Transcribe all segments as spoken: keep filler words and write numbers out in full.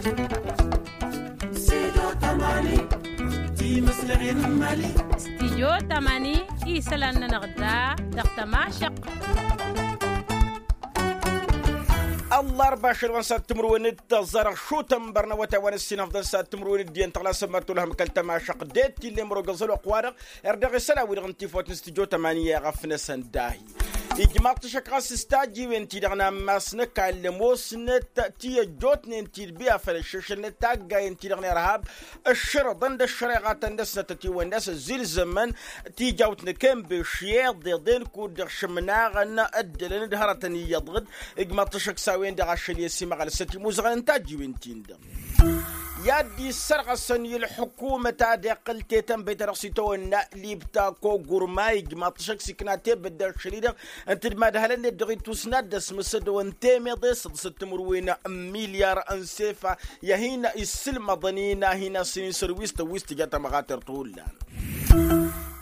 Studio tămani, ti-măslăɣen n-imali. Studio tămani, isălan-nănăɣ da dăɣ-tămašăɣt. Ăllarba ašăl wa n-sad timǝrwen d-tăẓarăɣ šutăn bărnăwăt a-wa n-ăssinăfḍăn sad timǝrwen d-iyyăn tăɣlasăn măr tulhăm kăl-tămašăɣt d-e-t ill'-e mărogăẓ ălwăqq-wa-dăɣ. Erdăɣ isălan-wi-dăɣ n-tifawt n-studio tămani i-ɣăf-năsăn dahi. Ijmaḍ-t ašăk ɣas s-tajjiwen-ti-dăɣ n-ammas n-ăkall ămoosnăt ti ăjjootnen ti d-bi afăl ăššăšălnăt taggayen-ti-dăɣ n-irhab ǝššărăḍăn d-ăššăreɣatăn-năsnăt ătiwănna a-s ăzilzămăn tijawt n-akănbeši iḍeḍen kud-dăɣ šămnaɣăn ăddălăn d-hărătăn iyyăḍ ɣǝd. Ijmaḍ-t ašăk s-a-wen-dăɣ ašăl i-ăsimăɣăl s-ătimuzăɣăn n-tajjiwen-tin-dăɣ i-ad-dd-issărɣăsăn i-ălḥukumăt ad-iqqǝl tetănbăyt ta dăɣ-s itawănna libta kogurma ijmaḍ-t ašăk s-ikna tebădde ašăl-i-dăɣ ǝnta d-madhălăn-net dăɣ-itusna dd-ăsmăsădăwăn temeḍe s-ǝḍǝsăt timǝrwen n-milyar n-sefa i-ad-hin-issǝlmăḍăn-in a hin-asǝnǝy sărwis tăwwist tǝja tamăɣatert hullan.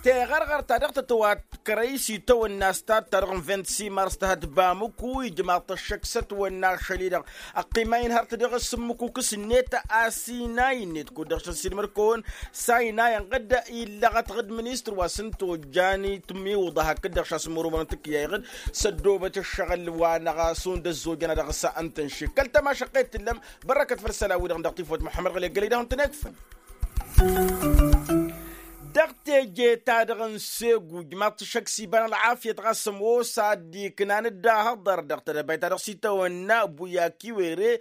Teɣărɣărt ta dăɣ-tătwat kărăy s-itawănna s-tad-ta-dăɣ n-vint-si mars tăhăt bamǝku ijmaḍ-t ăššăk s-ătwănna ašăl-i-dăɣ ăqqima-in hărăt dăɣ-s ǝmmǝk ukǝs-net a-s inay-net kud-dăɣ šăn s-ilmăd-kăwăn s-a inayăn ɣǝdda illăɣăt ɣǝd ministăr wa s-ǝnta ojjan itmiwǝḍa hakd-dăɣ šasmurumăn n-tǝkkǝyay ɣǝd s-ăddoobăt ǝššăɣǝl wa n-aɣasu n-dăzzojăn ad-dăɣ-s ǝnta n-šik kăl-tamašăqqet t-tǝllăm. Bărrăkăt făll-isălan-wi-dăɣ dăɣ-tifawt muḥămmăd ɣǝlăggălăy dăɣ-hăn tănekfăn dăɣ-teje-ta-dăɣ n-segu ijmaḍ-t ašăk s-iba n-ălɣafyăt ɣas ămoos ad-dd-iknan d-ahăḍăr dăɣ-tedăbayt ta dăɣ-s itawănna buyakiwere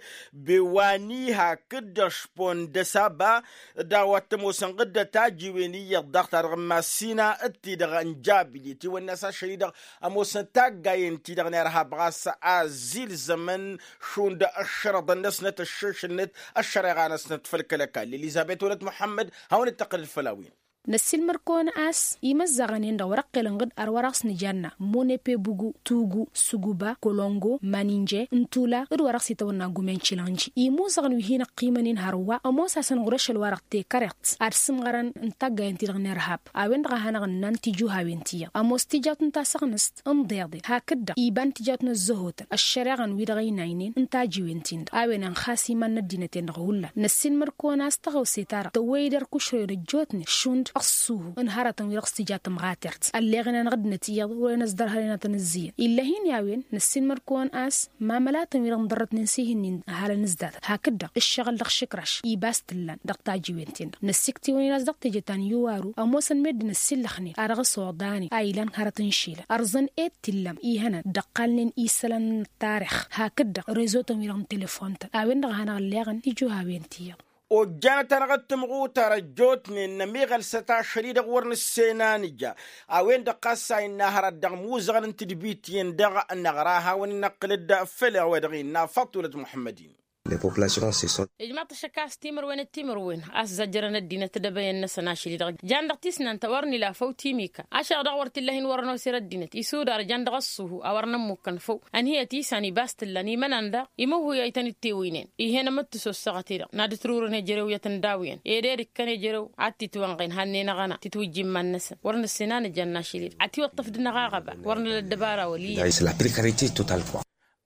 bewani hakd-dăɣ špon d-ăsaba d-a-wa t-ămoosăn ɣǝdda tajiwen iyyăḍ daɣ-ta-dăɣ n-massina d-ti-dăɣ n-jabili ătiwănna a-s ašăl-i-dăɣ ămoosăn taggayen-ti-dăɣ n-irhab ɣas a ăzzilzămăn šund ăššărăḍăn-năsnăt ăššăšălnăt ăššăreɣa-năsnăt făll-kăl-ăkall elizăbet wălăt muḥămmăd. Hawăn-dd-tăqqǝlăd făll-a-wen. Năssiilmăr-kăwăn a-s imăzzaɣăn-en-dăɣ wăr-ăqqelăn ɣǝd ar wăr-aɣ-s nǝjanna munepe bugu tugu suguba kolongo maninje n-tula d-wăr-aɣ-s itawănna gumen cilănji imuzăɣăn wi hin-ăqqimăn-in hărwa ămoos-asăn ɣur-ašăl wa-dăɣ tekăreḍt ad-sǝmɣărăn n-taggayen-ti-dăɣ n-irhab. A-wen-dăɣ a hanăɣ-ǝnnan tijuhawen ti-iyyăḍ ămoos tijawt n-tasăɣnǝst n-iḍeḍen hakd-dăɣ iba n-tijawt n-ăzzăhotăn ăššăreɣăn-wi-dăɣ ăynaynen n-tajiwen-tin-dăɣ a-wen ănxas iman n-ăddinăt-en-dăɣ hullan năssiilmăd-kăwăn a-s tăɣawse-ta-dăɣ tăwwăy-dd ărkušrăyăn ăjjootnen šund ăṣṣuhu n-hărătăn-wi-dăɣ s-tija tămɣatert ălleɣnen ɣǝddinăt iyyăḍ wăren ăsdărhănen ad-tăn-ǝzzǝyăn ill'-e hin-i a-wen năssiilmăd-kăwăn a-s mamălatăn-wi-dăɣ n-dărrătnen s-ihǝnnin ăhalăn ǝzdatăt hakd-dăɣ ǝššăɣǝl dăɣ-išǝkraš ibas t-ǝllan dăɣ-tajiwen-ten-dăɣ năssiktǝwăn-in a-s dăɣ-teje ta n-iwaru ămoosăn meddǝn ăssillăxnen a dăɣ-s oḍanen a ilan hărăt n-išilăn ărẓăn ed t-illăm ihănăn dd-ăqqalnen isălan n-ăttarix hakd-dăɣ rezotăn-wi-dăɣ n-telefon-tăn a-wen-dăɣ a hanăɣ-ǝlleɣăn tijuhawen ti-iyyăḍ. Ojjanăt-anăɣ d-timɣutar ăjjootnen nămiɣălsăt ašăl-i-dăɣ wăr nǝssenanǝja a-wen-dăɣ ɣas a innă hărăt dăɣ-imuzăɣăn n-tǝdbit-in dăɣ-năɣra a hawăn-in-năqqǝlăd făll-a-wa dăɣ-innă faṭṭulăt muḥămmăd-in. Ijmaḍ-t ašăk a-s timǝrwen d-timǝrwen a-s zajjărăn ăddinăt d-ebăyăn-năsăn ašăl-i-dăɣ jan dăɣ-tisnant wăr nǝla făw timika ašăl-dăɣ wăr t-illa hin-wărăn oser ăddinăt isudar jan dăɣ-ăṣṣuhu a wăr nămmukkăn făw. Ănhǝyăt isan ibas t-ǝllan imănan daɣ imǝhhuyăy-tăn d-tewǝynen. Ih'-en ămăttǝs ossăɣăt-i-dăɣ n-ad-ǝtrurăn ejărew i-ad-tăn-dawǝyăn ed ed ǝkkăn ejărew ad-t-itwănɣen hannăy n-aɣăna titwǝjja iman-năsăn wăr nǝssin a nǝja ănnašăl-i-dăɣ ătiwăṭṭăf d-năɣ aɣăba wăr năla ăddăbara wăl' iyyăn.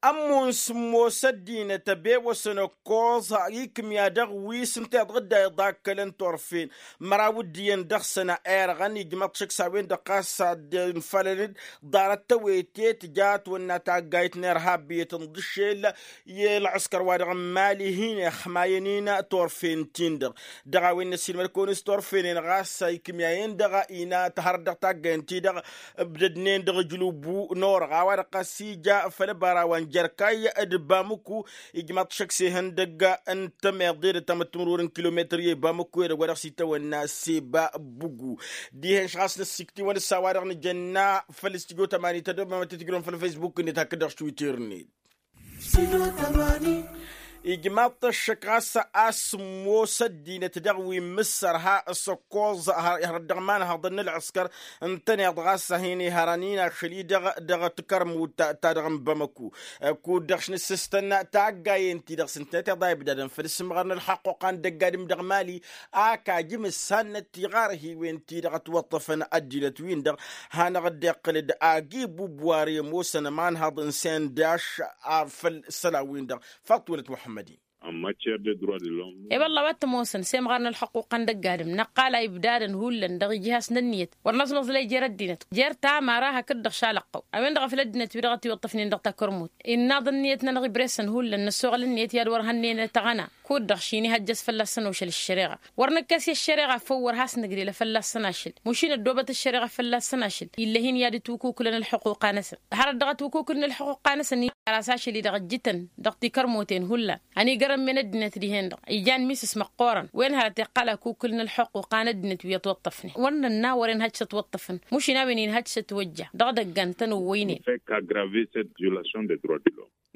Ămmun s-ămoos ăddinăt ăbewăsăn ăkkoẓ ikǝmya dăɣ-wi s-ǝnta iḍa ăkall n-turfen măraw d-iyyăn dăɣ-săn a irɣăn ijmăḍ-t šăkk s-a-wen-dăɣ ɣas ad-dd-infalăn-dd ḍarăt tăwete tǝja ătwănna taggayt n-irhab iyyăt n-iḍǝššel i-ălɣǝskăr-wa-dăɣ n-imali hin-ixmayăn-in turfen-tin-dăɣ. Dăɣ-a-wen n-ăssiilmăd-kăwăn s-turfenen ɣas ikǝmyayen-dăɣ ina tăhărăt dăɣ-taggayăn-ti-dăɣ ǝbdădnen dăɣ-ǝjlubu n-orăɣ a-wa-dăɣ ɣas ija făll-ăbara wa n-jărkay d-bamǝku. Ijmaḍ-t šăkk s-ehăndăgg n-tămeḍe d-ăttamăt timǝrwăr n-kilometăr i-bamǝku edăgg wa dăɣ-s itawănna seba bugu. Dihen-š ɣas năssiktǝwăn s-a-wa-dăɣ nǝjănna făll-studio tămani tădăbamăt tǝjrăwăn făll-facebook-net hakd-dăɣ s-twitter-net. Ijmaḍ-t ăššăk ɣas a-s ămoos ăddinăt dăɣ-wi n-imǝssărha s-ăkkoẓ hărăt dăɣ-imanhăḍăn n-ălɣǝskăr ǝntăneḍ ɣas a hin-ihărăn-in ašăl-i-dăɣ dăɣ-tikărmut-ta-dăɣ n-bamăku. Kud-dăɣ š-nǝssǝstăn taggayen-ti-dăɣ s-ǝntăneḍ a ibdadăn făll-isǝmɣărăn ălxaqquqa n-dăgg-adǝm dăɣ-mali. Ak ajǝm ǝssannăt tiɣarhiwen-ti-dăɣ ătwăṭṭăfăn ăddinăt-win-dăɣ hanăɣ-dd-iqqǝl-dd agi bubwar i-ămoosăn ămanhăḍ n-sendaš. Făll-isălan-win-dăɣ faḍt-wălăt muḥămmăd-in. N-matiyer de droit de lom. E-wălla a-wa t-ămoosăn semɣar n-ălxuquqa n-dăgg-adǝm năqqal a ibdadăn hullan dăɣ-ijihas n-ǝnniyăt wăr năẓmăẓlăy jer-ăddinăt jer-tamara hakd-dăɣ šalăqqăw. A-wen-dăɣ a făl ăddinăt wi-dăɣ ătiwăṭṭăfnen dăɣ-takărmut innă aḍǝnniyăt-nănăɣ ibresăn hullan n-ăssoɣăl ǝnniyăt i-ad-wăr hănnen tăɣăna. Kud-dăɣ šin-ihăjjăs fălla-săn ošăl ăššăreɣa wăr nǝkkes i-ăššăreɣa făw wăr has-nǝgrelă fălla-săn ašăl mušin ăddoobăt ăššăreɣa fălla-săn ašăl. Ill'-e-hin i-ad-ǝtwǝkukǝlăn ălxuquqa-năsăn hărăt dăɣ-ătwǝkukǝlnen ălxuquqa-năsăn i-ad-dăɣ-s ašăl-i-dăɣ ǝjjǝtăn dăɣ-tikărmuten hullan. Ăniigărămmen ăddinăt dihen-dăɣ ijan misǝs măqqoorăn wen hărăt iqqal akukǝl n-ălxuquqa n-ăddinăt wi ătwăṭṭăfnen mušǝn ănna wăren hăj s-ătwăṭṭăfăn mušǝn a-wen-in hăj s-ătwăjja. Dăɣ-edăgg ta n-ăwwăynen.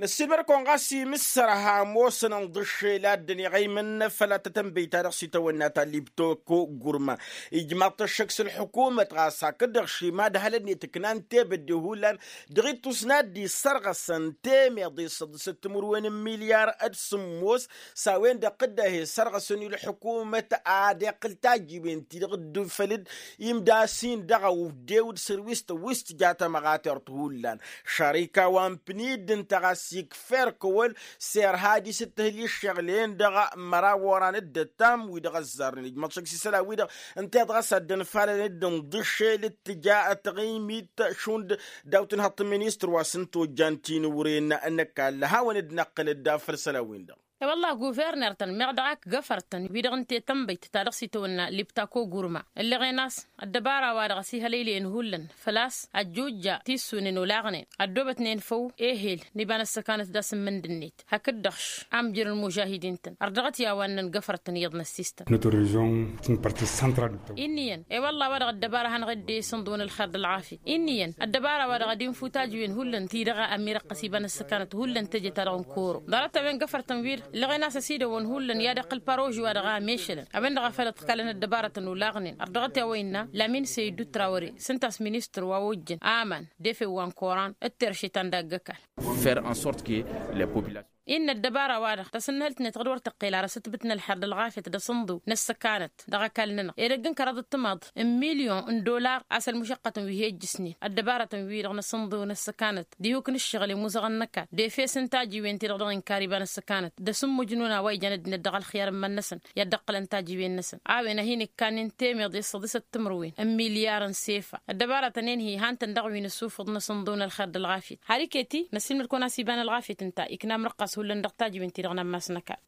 Năssilmăr-kăwăn ɣas imǝssărha ămoosăn ǝnḍǝššel a dd-ăniɣăymăn făll-ad-tătănbăy ta dăɣ-s itawănna ta libtoko gurma. Ijmaḍ-t ăššăk s-ălḥukumăt ɣas hakd-dăɣ šima d-hălănnet ǝknan tebădde hullan dăɣ-ittus n-ad-dd-isărɣăsăn temeḍe s-ăḍḍǝsăt timǝrwen n-milyar d-sǝmmos. S-a-wen-dăɣ tǝddahe sărɣăsăn i-ălḥukumăt ad-iqqǝl tajiwen-ti-dăɣ dd-făl-dd imdasin-dăɣ a ǝwdew d-sărwistăn wi s-tǝja tamăɣatert hullan. Šarika wa n-pǝnid ǝnta ɣas ikfer kăwăl s-irha ad-isǝttǝhǝl i-ǝššăɣǝl-en-dăɣ măraw oran d-ăttam wi-dăɣ ăzzarnen ijmăḍ šăkk s-isălan-wi-dăɣ. Ǝnta i-dăɣ a-s ad-dd-ănfalăn d-ǝnḍǝššel d-tǝja taɣimit šund daw-tinhăḍt n-ministăr wa s-ǝnta ojjan tinǝwren n-ăkall hawăn-dd-năqqǝl-dd făll-isălan-win-dăɣ. E-wălla guverner-tăn meɣ dăɣ-ak găfăr-tăn wi-dăɣ ǝnta i-tănbăyt ta dăɣ-s itawănna libtako gurma ǝlleɣen a-s ăddăbara-wa-dăɣ ăsihălăylăyăn hullan făl-a-s ăjjuja tissunen olaɣnen ăddoobătnen făw ehel n-iba n-ăssăkanăt d-asǝmmǝnd-net hakd-dăɣ amjăr n-imužahidin-tăn ărdăɣăt i-a-wa ǝnnăn găfăr-tăn iyyăḍ n-ăssiistăn. Notre région est une partie centrale du territoire. Inn'-iyyăn e-wălla a-wa-dăɣ ăddăbara a hanăɣ-dd-e-sǝnḍǝwăn ălxer d-ălɣafyăt inn'-iyyăn ăddăbara-wa-dăɣ ad-infu tajǝwen hullan ti-dăɣ a ămirăqqăs iba n-ăssăkanăt hullan teje-ta-dăɣ n-koro. Ḍarăt-a-wen găfăr-tăn wi-dăɣ ǝlleɣen a-s ăsidăwăn hullan i-ad-iqqǝl paroži-wa-dăɣ a mešălăn a-wen-dăɣ a făl ăḍkălăn ăddăbarătăn olaɣnen ărdăɣăt i-a-wa innă lamin săydu trawăre s-ǝnta a-s ministăr wa ojjăn aman d-efew wa n-koran d-terše ta n-dagg-ăkall. Faire en sorte que les populations. Innă ăddăbara-wa-dăɣ tasǝnnǝhǝlt-net ɣǝd wăr tăqqel ar ăsǝtbǝt n-ălxer d-ălɣafyăt d-asǝnḍǝw n-ăssăkanăt dăɣ-ăkall-nănăɣ edăgg n-kăraḍăt timaḍ n-milyon n-dollar a-s ălmušăqqătăn wi he-ǝjjǝsnen ăddăbarătăn-wi-dăɣ n-asǝnḍǝw n-ăssăkanăt d-ihuk n-ǝššăɣǝl i-imuzăɣăn n-ăkall d-efes n-tajiwen-ti-dăɣ dăɣ-inkar iba n-ăssăkanăt d-asǝmmujnun a-wa ijan ăddinăt dăɣ-ălxiyăr n-iman-năsăn i-ad-dd-ǝqqǝlăn tajiwen-năsăn. A-wen a hin-ǝkkannen temeḍe s-săḍisăt timǝrwen n-milyar n-sefa ăddăbarătăn-en-hi han-tăn dăɣ-wi n-ăssufǝḍ n-asǝnḍǝw n-ălxer d-ălɣafyăt har iket-i năssiilmăd-kăwăn-as iba n-ălɣafyăt ǝnta ikna amrăqqas hullan dăɣ-tajiwen-ti-dăɣ n-ammas n-ăkall.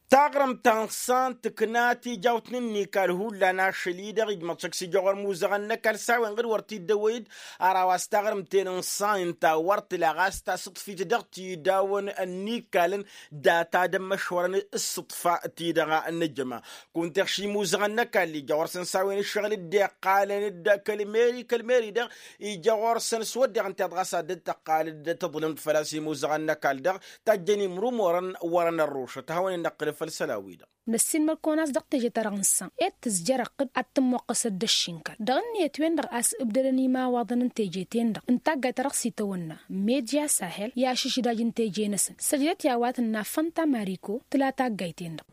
Taɣrǝmt ta n-san tǝkna tijawt n-ǝnnikal hullan ašăl-i-dăɣ ijmăḍ šăkk s-ija ɣur-imuzăɣăn n-ăkall s-a-wen ɣǝd wăr t-dd-ăwăy-dd. Ăraw a-s taɣrǝmt-en n-san ǝnta wăr tǝla ɣas tasǝḍfit dăɣ-tidawăn ǝnnikal n-data d-ămmăšwărăn s-sǝḍfa-ti-dăɣ n-ăjăma. Kunta iɣš imuzăɣăn n-ăkall ija ɣur-săn s-a-wen ǝššăɣǝl dd-iqqalăn-dd kăl-meri kăl-meri-dăɣ ija ɣur-săn s-wădden ɣǝnteḍ ɣas ad-dd-tăqqal dd-tǝḍlǝmt făl-a-s imuzăɣăn n-ăkall-dăɣ tajjăn imrumorăn wărăn ărrušăt ad-hawăn-in-năqqǝlǝl făll-isălan-wi-dăɣ. Năssiinmăr-kăwăn a-s dăɣ-teje-ta-dăɣ n-san ed tǝzjăr ăqqǝd ad-tǝmmoqqăs ăddăšši n-kăl dăɣ-ǝnniyăt-wen-dăɣ a-s ǝbdădăn imawaḍăn n-teje-ten-dăɣ n-taggayt ta dăɣ-s itawănna media sahel i-ašǝžžidaj n-teje-năsăn săjdăt i-a-wa tǝnna fănta mariko tǝla taggayt-en-dăɣ.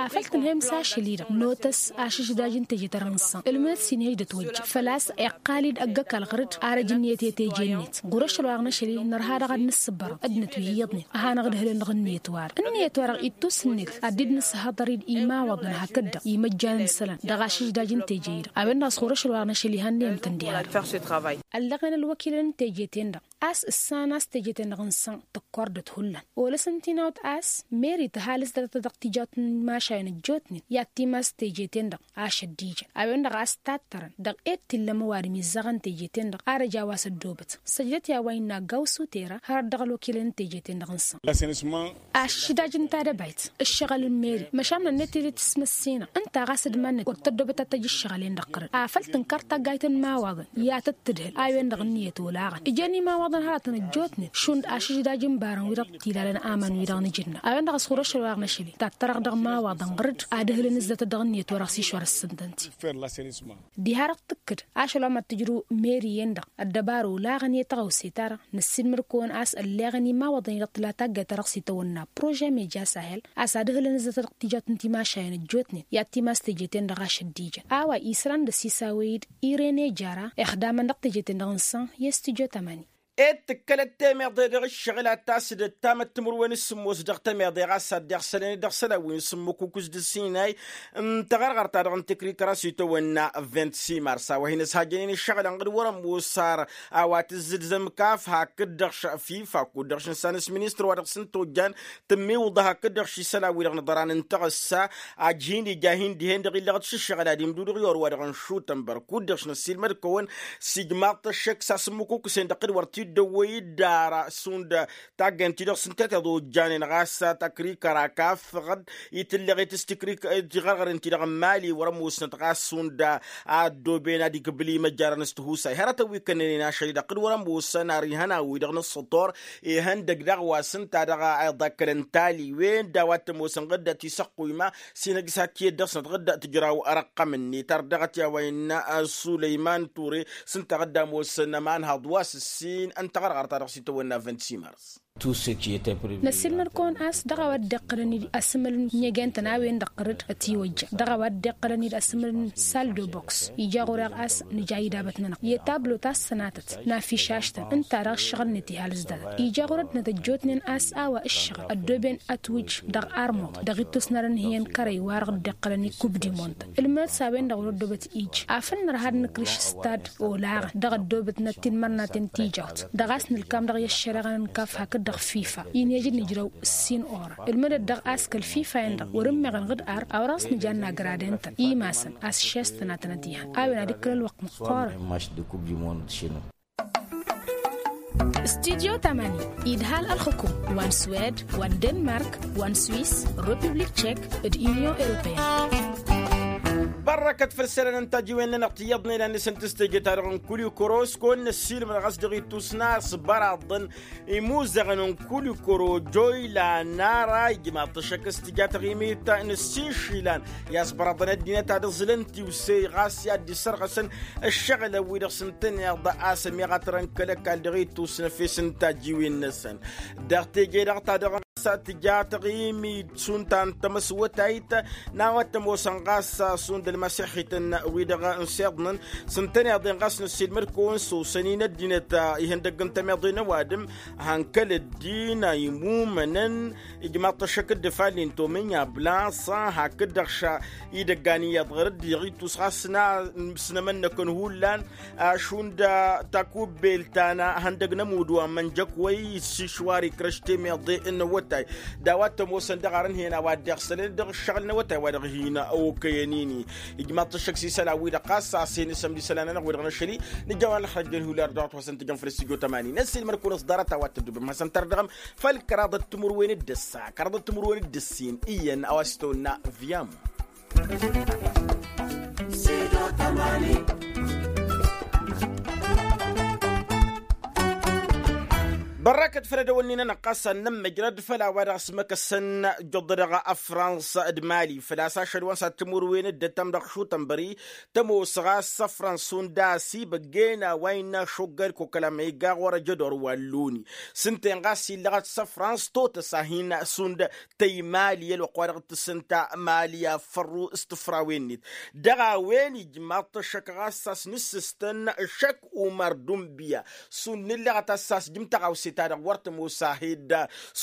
Afăl tǝnhăyăm s-ašăl-i-dăɣ notăs ašǝžžidaj n-teje-ta-dăɣ n-san ǝlmǝnăt s-inhăj d-ătwăjja făl-a-s iqqal-dd ăgg-ăkall ɣăr-dd ar ăjǝnniyăt i-teje-net ɣur-ašăl wa dăɣ-năšăl-i nărha daɣ ad-nǝssǝbbărăḍ ăddinăt wi iyyăḍnen. Ad-hanăɣ-ǝdhǝlăn dăɣ-ǝnniyăt-wa-dăɣ ǝnniyăt-wa-dăɣ ittus-net ad-dd-nǝsǝhhăḍăr-dd imawaḍăn hakd-dăɣ imăjjan n-isălan dăɣ-ašǝžžidaj n-teje-i-dăɣ a-wen-dăɣ a-s ɣur-ašăl wa dăɣ-năšăl ihănnăyăm-tăn diha-dăɣ. Ăllăɣen ălwăkilăn n-teje-ten-dăɣ a-s ǝssan a-s teje-ten-dăɣ n-săn tăkkoardăt hullan olăs ǝnta inawăt a-s meri tǝhalǝs dăr-tăt dăɣ-tijawt n-imašawen ăjjootnen i-ad-timas teje-ten-dăɣ ašăl d-ijăn a-wen-dăɣ a-s tattărăn dăɣ-ed t-illa ămăwadǝm izzaɣăn teje-ten-dăɣ ar ăj a-wa s-ăddoobăt săjdăt i-a-wa innă gawsu tera hărăt dăɣ-ălwăkilăn n-teje-ten-dăɣ n-săn. Ašǝžžidaj n-tadăbayt ǝššăɣǝl n-meri măšan n-ănniyăt tede tǝsmăssinăɣ ǝnta ɣas d-iman-net wăr tăddoobăt ad-tăj ǝššăɣǝl-en-dăɣ ɣărăt afăl tǝnkăr taggayt n-imawaḍăn i-ad-tăt-tǝdhǝl a-wen-dăɣ ǝnniyăt olaɣăn ǝjăn imawaḍăn hărătăn ăjjootnen šund ašǝžžidaj n-ibarăn wi-dăɣ t-ilalăn aman-wi-dăɣ n-ijǝnna a-wen-dăɣ a-s ɣur-ašăl wa dăɣ-năšăl-i tattărăɣ dăɣ-imawaḍăn ɣǝr-dd ad-ǝhlǝn ǝzzătăt dăɣ-ǝnniyăt wa dăɣ-s išwăr ǝssǝntăn-t. Diha-dăɣ tǝkkǝd ašăl wa mad-tǝjrǝw meri-en-dăɣ ăddăbară olaɣăn i-tăɣawse-ta-dăɣ năssiinmăr-kăwăn a-s ălleɣăn imawaḍăn-i-dăɣ tǝla taggayt ta dăɣ-s itawănna prože meja sahel a-s ad-ǝhlǝn ǝzzătăt dăɣ-tijawt n-timašayen ăjjootnen i-ad-timas teje-ten-dăɣ ašăl d-ijăn a-wa isran d-ăsisawăy-dd irene jara ixdamăn dăɣ-teje-ten-dăɣ n-san i-studyo tamani. Ed tǝkkălăt temeḍe dăɣ-ǝššăɣǝl ad-tasǝdăt tamăttǝmǝrwen s-sǝmmos dăɣ-temeḍe ɣas ad-dd-iɣsălăn dăɣ-isălan wi n-sǝmmǝkukǝs d-ǝssinay n-taɣărɣărt-ta-dăɣ n-tikrikrăs itawănna vint-simars a-wa hin-ăshajănen ǝššăɣǝl ănɣăd wăr-ămoos ar a-wa tǝzzǝdzăm kaf hakd-dăɣ fifa kud-dăɣ šǝnsan s-ministăr wa dăɣ-săn tojjan tǝmmiwǝḍa hakd-dăɣ šisălan-wi-dăɣ n-iḍăran n-taɣǝssa. Ajhin ija hin-dihen-dăɣ illăɣ d-šǝššăɣǝl ad-imdudǝɣ i-orwa-dăɣ n-šutănbăr kud-dăɣ šinăssiilmăd-kăwăn s-ijmaḍ-t ăššăk s-asǝmmǝkukǝsen dăɣ-kăd wăr t-dd-ăwwăy dd-ara šund taggăyăn-ti-dăɣ s-ǝnta tiḍa ojjanen ɣas takrikăra kafăɣ-dd itǝllăɣet s-tikrik tiɣărɣăren-ti-dăɣ n-imali wăr-ămoosnăt ɣas šund a ăddooben ad-ikbǝl imăjjarăn s-tihusay hărătăn wi kănnănen ašăl-i-dăɣ kăd wăr-ămoosăn ar ihăn a-wi-dăɣ n-ǝssător ihăndăg daɣ wa s-ǝnta dăɣ-a iḍakkălăn taliwen d-a-wa t-ămoosăn ɣǝdda tisăqquyma s-inăgg s-hakk iyyăt dăɣ-snăt ɣǝdda tǝjraw răqqăm-net ar dăɣ-t i-a-wa innă sulăyman ture s-ǝnta ɣǝdda ămoosăn ămanhăḍ wa s-ǝssin n-taɣărɣărt-ta-dăɣ s-itawănna vint-simars. Năssiilmăd-kăwăn a-s dăɣ-a-wa dd-iqqălăn-dd asǝmǝl n-inyăgen-tăn a-wen-dăɣ ɣǝrǝd ătiwăjja dăɣ-a-wa dd-iqqălăn-dd asǝmǝl n-sal de boks ija ɣur-e a-s nǝja idabăt-nănăɣ i-tablo ta s-sănatăt n-afišaš-tăn ǝnta-dăɣ ǝššăɣǝl-net ihalǝs-datăt ija ɣur-ăddinăt ăjjootnen a-s a-wa ǝššăɣǝl ăddooben ătwǝj dăɣ-armuḍ dăɣ-ittus n-ad-ănhǝyăn kărăy wa-dăɣ dd-iqqălăn i-kub di mont ǝlmǝnăt s-a-wen-dăɣ wăr-ăddoobăt ija afăl nărha ad-nǝkrǝš stad olaɣăn dăɣ-ăddoobătnăt tinmărnaten tijawt dăɣ-a-s nǝlkam dăɣ-i ăššăreɣăn n-kaf hakd-dăɣ fifa-i n-ejăd nǝjrăw ǝssin orăn ǝlmǝdăt daɣ a-s kăl-fifa-en-dăɣ wăr-ǝmmeɣăn ɣǝd ar a wăr-ăsnǝjan n-agraden-tăn imasăn a-s šest tănatănăt ihăn a-wen ad-ǝkkǝl ălwăqq măqqoorăn. Studyo tamani idhal ălxukum wa n-swed wa n-denmark wa n-swiss, republik tchek d-union europeyenne. Bărrăkăt făll-isălan n-tajiwen-nănăɣ tiyyăḍnen ad-nǝsǝntǝs teje-ta-dăɣ n-kulikoro s-kăwăn-năssiilmăd ɣas dăɣ-ittus n-a-s băraḍăn imuzăɣăn n-kulikoro joyla nara ijmaḍ-t ăššăk s-tǝja taɣimit n-ǝssin išilan i-a-s băraḍăn ăddinăt ad-ǝẓǝlăn tiwse ɣas i-ad-dd-isărɣăsăn ǝššăɣǝlăn-wi-dăɣ s-ǝntăneḍ a-s ămiɣatărăn kăl-ăkall dăɣ-ittus n-efes n-tajiwen-năsăn. Dăɣ-teje-dăɣ ta dăɣ-s tǝja taɣimit šund ta n-tamăswătayt n-a-wa t-ămoosăn ɣas šund ălmasiḥităn-wi-dăɣ n-siḍnăn s-ǝntăneḍ-en ɣas năssiilmăd-kăwăn s-osăn-in ăddinăt ihăndăgg n-tămeḍe n-ăwadǝm. Han kăl-ăddin a imumănăn ijmaḍ-t ăššăk dd-ifalli n-tomǝnya blansa hakd-dăɣ ša idăggan iyyăḍ ɣur-dd dăɣ-ittus ɣas s-nămănnăkăn hullan šund takubbelt ta n-ihăndăgg n-ămudd wa n-imănjăkwăy s-išwar ikrăš temeḍe n-awătay d-a-wa t-ămoosăn dăɣ-arǝnhǝyăn a-wa dd-iɣsălăn dăɣ-ǝššăɣǝl n-awătay wa dăɣ-hin-okăyăn-ini. Ijmaḍ-t ăššăk s-isălan-wi-dăɣ ɣas a-s hin-isămd isălan-anăɣ-wi-dăɣ n-ašăl-i nǝjjaw a n-ălxărăjjăn hullar dăɣ-wa t-wa s-ǝntǝjăn făll-s tǝjjo tămani n-ăssiilmăd-kăwăn s-ḍarăt a-wa t-ăddubăm hasăn-tărdăɣăm. Făll-kăraḍăt timǝrwen d-ǝssa kăraḍăt timǝrwen d-ǝssin iyyăn a-wa s-tăwănna viyamu. Bărrăkăt făll-edăwănnin-anăɣ ɣas ad-nămmăjrăd făll-a-wa dăɣ-s măkăsăn jăḍḍădăɣ ăfrans d-mali făl-a-s ašăl wa n-sad-timǝrwen d-ăttam dăɣ-šutănbări tămoos ɣas ăfrans šund a-s ibăggen a-wa innă ašoggăl kokălăm iga ɣur-ăjădor wa n-loni s-ǝnta-en ɣas illăɣăt s-ăfrans totăs a hin-šund tăy mali i-ălwăqq wa dăɣ-tǝssǝnta mali a fărru s-tǝfrawen-net dăɣ-a-wen ijmaḍ-t ăššăk ɣas a-s nǝssǝstăn ăššăk umar dunbiya šund nǝllăɣăt a-s a-s jǝm tăɣawse-ta-dăɣ wăr tămoos a he-dd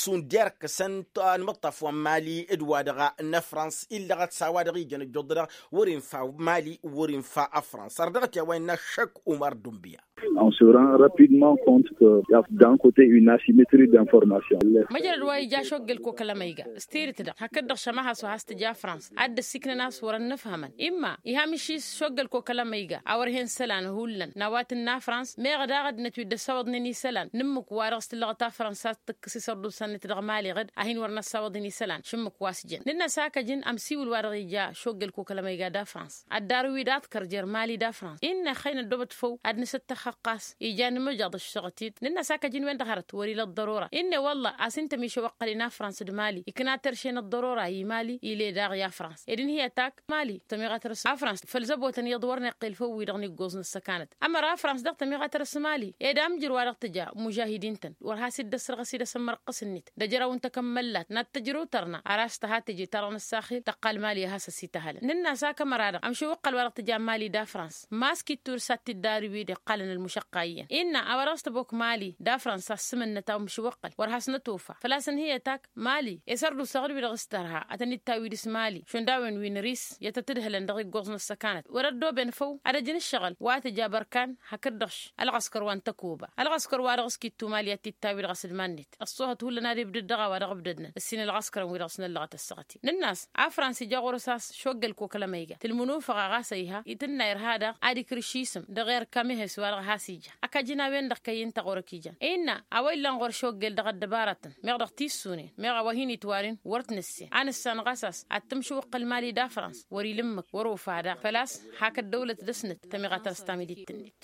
šund i-erkăsăn anmǝṭṭaf wa n-mali d-wa-dăɣ n-ăfrans illăɣăt s-a-wa-dăɣ ijăn ăjjuḍ-dăɣ wăr-infa mali wăr-infa ăfrans ar dăɣ-t i-a-wa innă ăššăk umar dunbiya. On se rend rapidement compte que y a d'un côté une asymétrie d'information. Măjrăd wa ija ašoggăl kokălăm a iga s-tirǝt-dăɣ hakd-dăɣ šămahas wa has-tǝja frans ad-dd-ăssiknăn a-s wăr-ănnăfhămăn imma iha mǝšis ašoggăl kokălăm a iga a wăr hen isălan hullan n-a-wa tǝnna frans meɣ daɣ ăddinăt wi dd-ăssawăḍnen isălan n-ǝmmǝk wa dăɣ-s tǝllăɣăt a frans ad-tǝkkǝs isărdusan-net dăɣ-mali ɣǝd a hin-wăr n-ăssawăḍăn isălan šǝmmǝk wa s-jăn nǝnn'-as ak ăjǝn ămsiwǝl wa dăɣ-ija ašoggăl kokălăm a iga d-afrans ăddarǝw-wi d-aḍkăr jer-mali d-afrans-i n-ixăynăt dd-obăt făw ad-nǝsǝttăxxăɣ ɣas ija n-imǝjăḍ ăššăɣăt-dd nǝnn'-as ak ăjǝn-wen-dăɣ hărăt wăr-ila ăḍḍărora-i n-e wălla a-s ǝnta mišăw ăqqăl-in afrans d-mali ikna terše n-ăḍḍărora i-mali ile daɣ i-afrans ed ǝnhǝy ătak mali tămiɣăt răs afrans făll-zăbotăn iyyăḍ wăr n-iqqel făw-wi-dăɣ n-iggoẓ n-ăssăkanăt ămăra afrans dăɣ-tămiɣăt răs mali ed amjǝr wa dăɣ-tǝja mužahidin-tăn wăr has-dd-ăssărɣăs-dd asǝmmărqqǝs-net d-ăjrăw n-takămmăllat n-ad-tǝjrǝw tărna ar has-tăha teje ta dăɣ-năssaxil tăqqal mali a has-ăsităhălăn nǝnn'-as ak ămăra-dăɣ ămšăw ǝqqăl wa dăɣ-tǝja mali d-afrans maskit turǝs ad-t-dd-arǝw-dd iqqalăn. mušăqqay iyyăn innă a-wa dăɣ-s tăbok mali d-afrănsa ăssǝmǝnnăt a-wa ǝmšǝwăqqăl wăr hasnătofa făl-a-s ǝnhǝyăt ak mali. Isărdusa ɣǝd-wi-dăɣ s-tărha ad-tăn-dd-tawwid s-mali šund a-wen wi n-ris i-ad-tăt-ǝdhǝlăn dăɣ-iggoẓ n-ăssăkanăt wăr-ăddooben făw ad-ăj n-ǝššăɣǝl wa tǝja bărkan hakd-dăɣ š-ălɣăskăr wa n-tăkoba ălɣăskăr wa dăɣ-s kittu mali ad-t-dd-tawwid ɣas d-iman-net. Ăṣṣoohăt hullan ad-ibdăd dăɣ-a-wa dăɣ-ǝbdădnăn ǝssin ălɣăskărăn wi-dăɣ s-năllăɣăt ăssaɣăt-in nǝnn'-as a frans ija ɣur-s a-s šoggăl koklămăyga tǝlmǝnufăɣ a ɣas a iha itǝnna irha daɣ ad-ikrǝš isǝm dăɣ-erkamehes wa-dăɣ has-ija. Ăkajăn a-wen-dăɣ kăyy n-taɣurăt ijan innă a-wa illan ɣur-šoggel dăɣ-ăddăbarătăn meɣ dăɣ-tissunen meɣ a-wa hin-itwaren wăr t-nǝssen a nǝssanăɣ a-s ad-tǝmšǝwăqqăl mali d-afrans wăr-ila ǝmmǝk wăr-ofa daɣ făl-a-s hak ăddăwlăt dăr-snăt tămiɣatăn s-tamidit-net.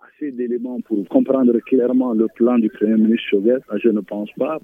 Assez d'éléments pour comprendre clairement le plan du premier ministre Choguel, je ne pense pas.